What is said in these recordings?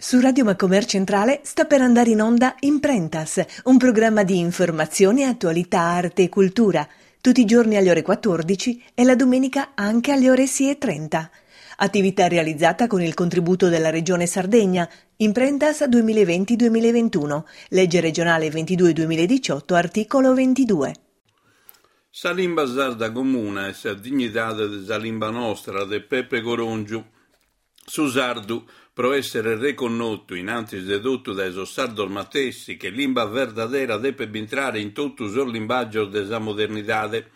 Su Radio Macomer Centrale sta per andare in onda Imprentas, un programma di informazione, attualità, arte e cultura, tutti i giorni alle ore 14 e la domenica anche alle ore 6.30. Attività realizzata con il contributo della Regione Sardegna, Imprentas 2020-2021, legge regionale 22-2018, articolo 22. Sa limba sarda comuna e sa dignidade de sa limba nostra de Pepe Corongiu. Su sardu, pro èssere reconnotu in antis de totu dae sos sardos matessi che limba verdadera depet bintrare in totu sos limbàgios de sa modernidade.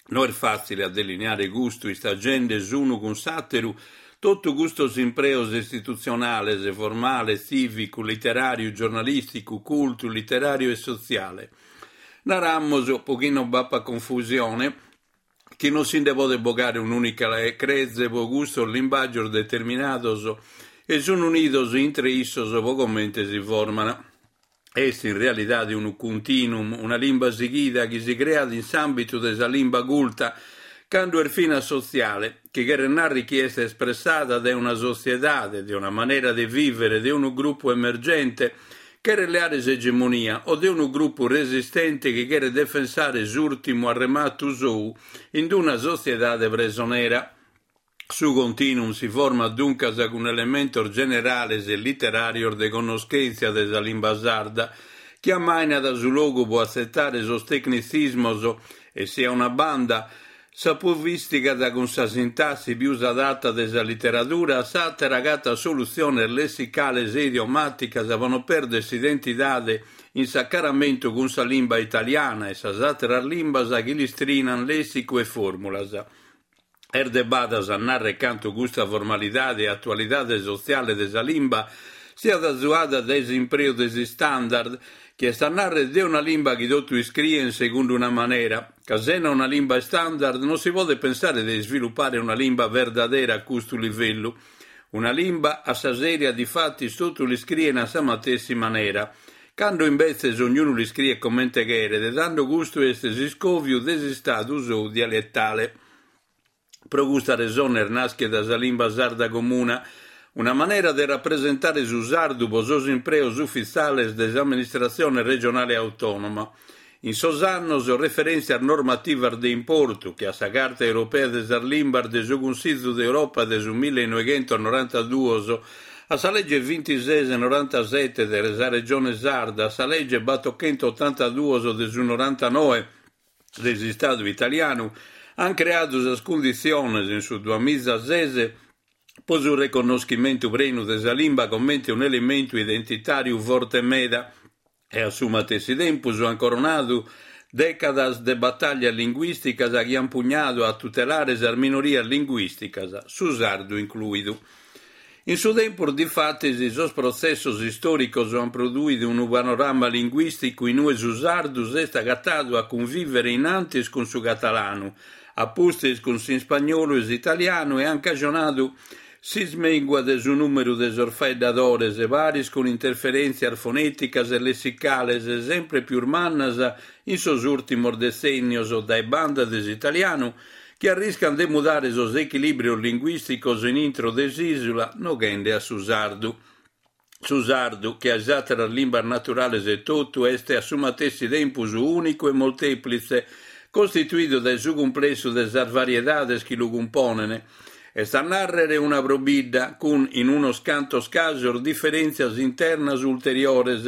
No est fàtzile a delineare custu istagende s'unu cun s'àteru totu custos impreos istitutzionales, formale, tzìvicu, literàriu, giornalìsticu, cultu, literàriu e sotziale. Naramus, pro chi non b'apat confusione, chi non si nde podet bogare un'ùnica creze pro custos limbàgios determinados e sunt unidos intre issos pro comente si formant. Est in realidade unu continuum, una limba sighida chi si creat in s'àmbitu de sa limba culta, cando est finas sotziale, chi cheret nàrrere chi est espressada dae una sotziedade, de una manera de vìvere de unu grupu emergente, cheret leare s'egemonia o de unu grupu resistente chi cheret defensare s'ùrtimu arrematu sou in una sotziedade presonera. Su continuum si format duncas cun elementos generales e literàrios de connoschèntzia de sa limba sarda chi ammainat su logu pro atzetare sos tecnitzismos e si a una banda S'apovìstigat cun sa sintassi pius adata de sa literadura, a s'àtera agatat solutziones lessicales e idiomàticas pro non pèrder s'identidade in s'acaramentu cun sa limba italiana e sas àteras limbas chi l'istrinan lèssicu e fòrmulas. Est de badas a nàrrer cantu custa formalidade e atualidade sotziale de sa limba siat azuada dae s'impreu de s'istandard, chi est a nàrrer de una limba chi totu iscrien segundu una manera, ca sena una limba standard non si podet pensare de isvilupare una limba verdadera a custu livellu. Una limba a sa sèria difatis totu l'iscrien a sa matessi manera. Cando imbetzes ognunu l'iscriet comente cheret, tando custu est s'iscòviu de s'istadu sou dialetale. Pro custa resone est nàschida sa Limba Sarda Comuna, una manera de rapresentare su sardu pro sos impreos ufitziales de s'amministratzione regionale autònoma. In sos annos, referèntzias normativas de importu, che a sa Carta Europea de sas Limbas de su Cunsizu de Europa de su millenoighentos-norantaduos, a sa lege bintises norantasete de sa Regione Sarda, a sa lege batochentotantaduos de su norantanoe, de s'Istadu italianu ant creadu sas cunditziones in su duamizases pro su reconnoschimentu prenu de sa limba comente un'elementu identitàriu forte meda e a su matessi tempus ant coronadu dècadas de batàllias linguìsticas chi ant pugnadu a tutelare sas minorias linguìsticas, su sardu inclùidu. In su tempus, difatis, sos protzessos istòricos ant produidu unu panorama linguìsticu in ue su sardu s'est agatadu a cunvìvere in antis cun su catalanu, a pustis cun s'ispagnolu e s'italianu e ant cajonadu s'ismèngua de su nùmeru de sos faeddadores paris cun interferèntzias fonèticas e lessicales sempre pius mannas in sos ùrtimos detzènnios dae banda de s'italianu chi arriscant de mudare sos echilìbrios linguìsticos in intro de s'ìsula noghende a su sardu. Su sardu, che a is àteras limbas naturales etotu, est a su matessi tempus ùnicu e moltèplitze, costituidu dae su cumplessu de sas variedades chi lu cumponent, est a nàrrere una pro bidda, cun, in unos cantos casos, diferèntzias internas ulteriores,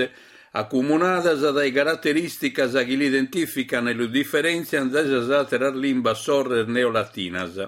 acumunadas dae caraterìsticas chi l'identìficant e lu diferèntziant dae sas àteras limbas sorres neolatinas.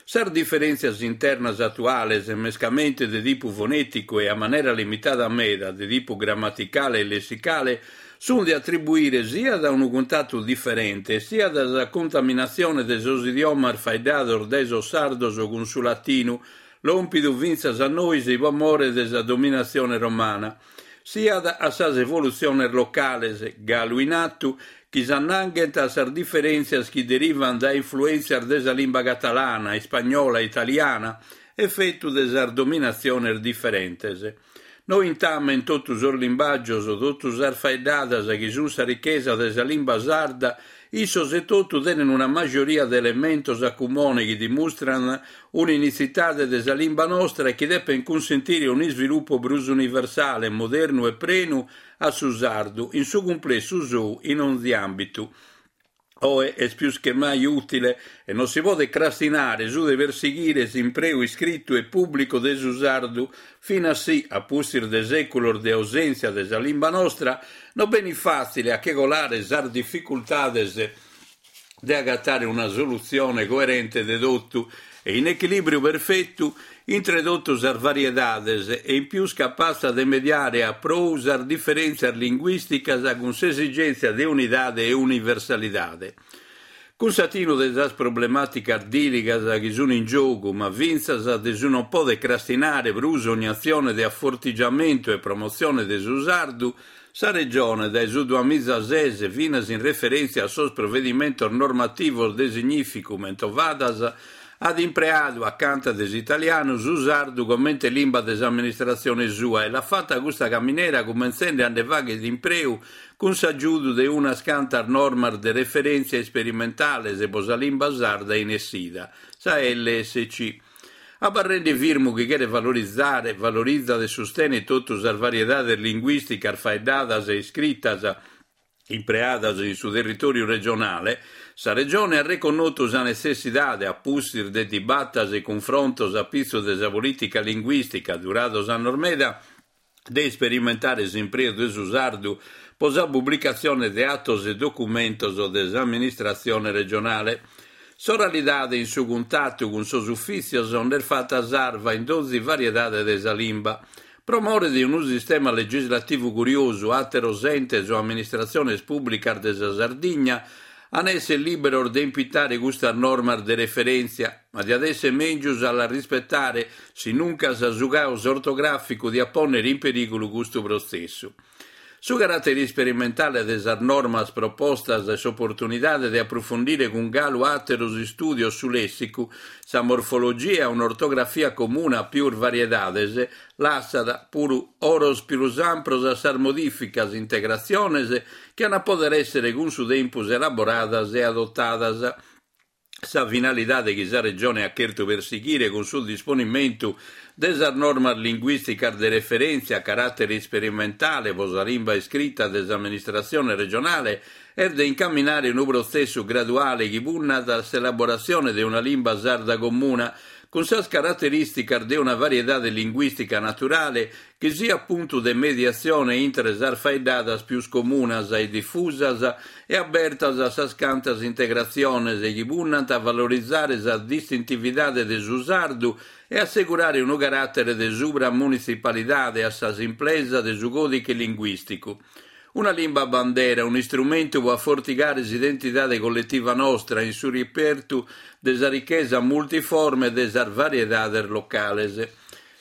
Sas diferèntzias internas atuales, mescamente de tipu fonèticu e a manera limitada meda de tipu grammaticale e lessicale, sunt de atribuire siat a unu cuntatu diferente siat a sa contaminatzione de sos idiomas faeddados dae sos sardos cun su latinu, lòmpidu fintzas a nois pro more de sa dominatzione romana. siat a sas evolutziones locales, galu in atu, chi s'annanghent a sas diferèntzias chi derivant dae influèntzias de sa limba catalana, ispagnola e italiana, efetu de sas dominatziones diferentes. Nointamen totu sos limbàgios, totu sas faeddadas chi sunt sa richesa de sa limba sarda, Issos etotu tenen una majoria de elementos a cumone chi dimustran un'unitzidade de sa limba nostra e chi depen cunsentire un'isvilupu prus universale, modernu e prenu a su sardu in su cumplessu sou in onzi àmbitu. Oe est pius che mai ùtile e non si podet crastinare su de persighire s'impreu iscritu e pùblicu de su sardu, finas si, a pustis de sèculos de ausèntzia de sa limba nostra, non benit fàtzile a che colare sas dificultades de agatare una solutzione coerente de totu e in echilìbriu perfetu intre totu sas variedades e in pius capatza de mediare a prou sas diferèntzias linguìsticas cun s'esigèntzia de unidade e universalidade. Cun s'atinu de sas problemàticas dìligas chi sun in giogu, ma fintzas de su non poder crastinare prus ogni atzione de afortigiamentu e promotzione de su sardu, Sa Regione, dae su duamizases finas in referèntzia a sos provedimentos normativos de significu mentovadas, at impreadu, acanta de s'italianu, su sardu comente limba de s'amministratzione sua e l'at fata custa caminera cumentzende a nde fàghere impreu cun s'agiudu de unas cantas normas de referèntzia isperimentales pro sa limba sarda in essida, sa lsc. Abarrende firmu chi cheret valorizare, valorizat e sustenet totu sas variedades linguìsticas faeddadas e iscritas impreadas in su territòriu regionale, sa Regione at reconnotu sa netzessidade, a pustis de dibatas e cunfrontos a pitzu de sa polìtica linguìstica durados annos meda, de isperimentare s'impreu de su sardu pro sa publicatzione de atos e documentos de s'amministratzione regionale. S'oralidade in su cuntatu cun sos ufìtzios nd'est fata sarva in donzi variedade de sa limba. Pro more de unu sistema legislativu curiosu, àteros entes o amministratziones pùblicas de sa Sardigna an èssere lìberos de impitare custas normas de referèntzia, ma diat èssere mèngius a las rispetare, sinuncas su caos ortogràficu diat pònnere in perìgulu custu protzessu. Su caràtere isperimentale de sas normas propostas e s'oportunidade de aprufundire cun galu àteros istùdios su lèssicu, sa morfologia e un'ortografia comuna a pius variedades, lassat, puru, oros pius ampros a sas modìficas, integratziones chi an a pòdere èssere cun su tempus elaboradas e adotadas. Sa finalidade chi sa Regione at chertu persighire cun su disponimentu de sas normas linguìsticas de referèntzia a caràtere isperimentale pro sa limba iscrita de s'amministratzione regionale est de incaminare unu protzessu graduale chi punnat a s'elaboratzione de una limba sarda comuna cun sas caraterìsticas de una variedade linguìstica naturale chi siat puntu de mediatzione intre sas faeddadas pius comunas e difusas e abertas a sas cantas integratziones chi punnant a valorizare sa distintividade de su sardu e assegurare unu caràtere de subramunitzipalidade a sa simplesa de su còdiche linguìsticu. Una limba bandera, un'istrumentu pro afortigare s'identidade colletiva nostra in su repertu de sa richesa multiforme de sas variedades locales.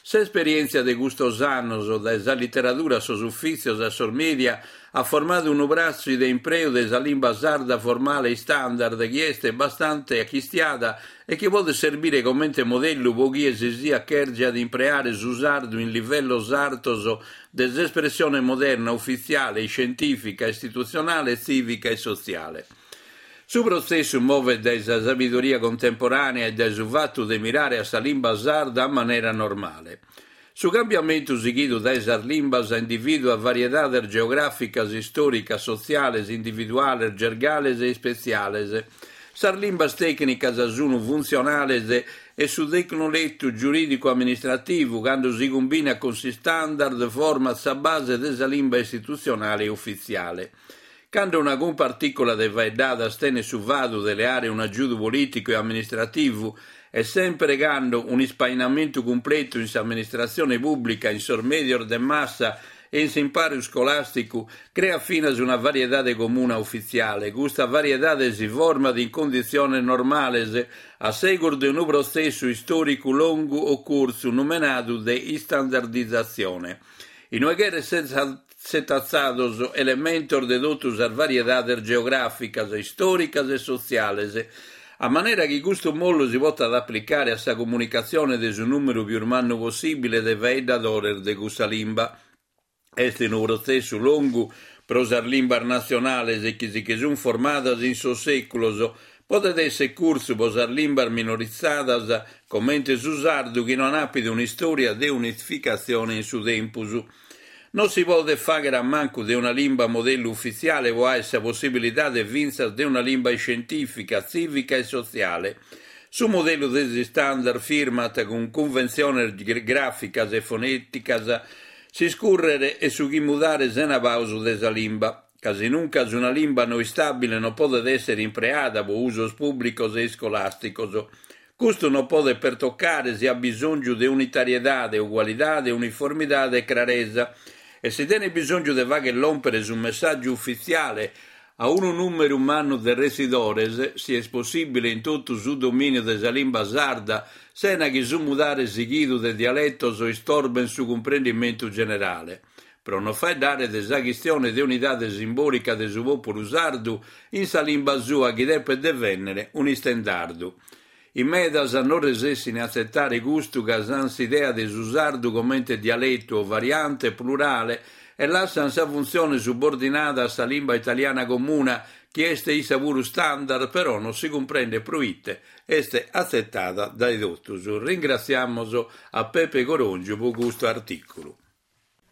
S'esperièntzia de custos annos, dae sa literadura a sos ufìtzios a sos mèdia, at formadu unu prassi de impreu de sa limba sarda formale istandard chi est bastante achistiada e chi podet serbire comente modellu pro chie si siat chèrgiat impreare su sardu in livellos artos de s'espressione moderna, ufitziale, iscientìfica, istitutzionale, tzìvica e sotziale. Su protzessu movet dae sa sabidoria contemporànea e dae su fatu de mirare a sa limba sarda a manera normale. Su cambiamentu sighidu dae sas limbas indivìduat variedades geogràficas, istòricas, sotziales, individuales, gergales e ispetziales. Sas limbas tècnicas sunt funtzionales e su tecnoletu giurìdicu-amministrativu, cando si cumbinat cun s'istandard, format sa base de sa limba istitutzionale e ufitziale. Cando una cumpartìcula de faeddadas tenet su fadu de leare un'agiudu polìticu e amministrativu e semper cando un'ispainamentu cumpletu in s'amministratzione pùblica, in sos mèdios de massa e in s'imparu iscolàsticu creat finas una variedade comuna ufitziale, custa variedade si format in conditziones normales a segus de unu protzessu istòricu longu o curtzu numenadu de istandardizatzione. Inue cheret setatzados elementos de totu sas variedades geogràficas, istòricas e sotziales, a manera chi custu mollu si potat aplicare a sa comunicatzione de su nùmeru pius mannu possìbile de faeddadores de cussa limba. Est unu protzessu longu. Pro sas limbas natzionales chi si che sunt formadas in sos sèculos, podet èssere curtzu pro sas limbas minorizadas comente su sardu chi no an àpidu un'istòria de unificatzione in su tempus. Non si podet fàghere a mancu de una limba modellu ufitziale pro àere sa possibilidade fintzas de una limba iscientìfica, tzìvica e sotziale. Su modellu de s'istandard firmat cun cunventziones gràficas e fonèticas s'iscùrrere e su chi mudare sena pausu de sa limba, ca sinuncas una limba no istàbile non podet èssere impreada pro usos pùblicos e iscolàsticos. Custu non podet pertocare si at bisòngiu de unitariedade, ugualidade, uniformidade e craresa e si tenet bisòngiu de fàghere lòmpere su messàgiu ufitziale a unu nùmeru mannu de retzidores, si est possìbile in totu su domìniu de sa limba sarda, sena chi su mudare sighidu de dialetos istorbent su cumprendimentu generale. Pro non faeddare de sa chistione de unidade simbòlica de su pòpulu sardu in sa limba sua chi depet devènnere un'istendardu. In medas non resessint a atzetare custu ca s'ant s'idea de su sardu comente dialetu o variante plurale e lassant sa funtzione subordinada a sa limba italiana comuna chi est issa puru standard però non si cumprendet proite est atzetada dae totus. Ringratziamos a Pepe Coròngiu pro custu artìculu.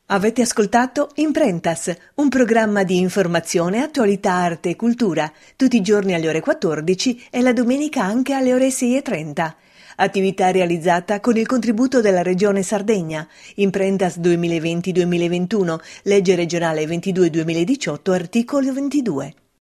Avete ascoltato Imprentas, un programma di informazione, attualità, arte e cultura, tutti i giorni alle ore 14 e la domenica anche alle ore 6.30. Attività realizzata con il contributo della Regione Sardegna. Imprentas 2020-2021, legge regionale 22-2018, articolo 22.